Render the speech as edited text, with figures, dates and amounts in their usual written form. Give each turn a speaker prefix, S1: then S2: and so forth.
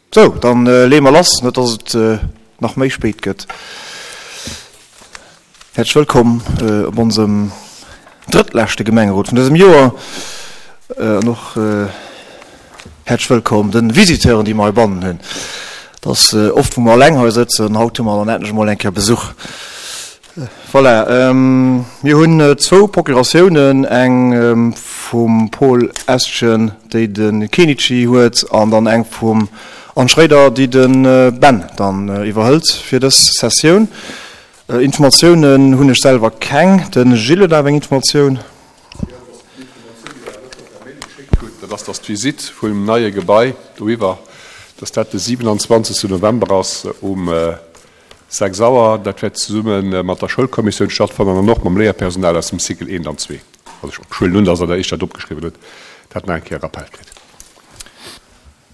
S1: Sou, dann leeë mer lass, net dass et nach méi spéit gëtt. Häerzlech wëllkomm op onsem drëttleschte Gemengerot vun dësem Joer an och häerzlech wëllkomm de Visiteuren, déi mer heibannen hunn. Et ass oft, wou mer eleng hei sëtzen, haut hu mer dann endlech emol eng Kéier Besuch. Voilà, mir hunn zwou Procuratiounen, eng vum Paul Estgen, déi de Kenichi huet, an dann eng vum Anne Schréider, déi de Ben dann iwwerhëlt fir dës Sessioun. Informatiounen hunn ech selwer keng. De Gilles huet awer eng Informatioun.
S2: Jo, et ass déi Informatioun, déi Der lëtzer per Mail geschéckt hutt, dat ass, dass d'Visitt vum neie Gebai doiwwer, dass dat de 27. November ass um 6 Auer. Dat wäert zesumme mat der Schoulkommissioun stattfannen an och mam Léierpersonal aus dem Cycle 1 an 2. Also ech huelen un, dass Der Iech dat opgeschriwwen hutt, dat nach eng Kéier Rappel kritt.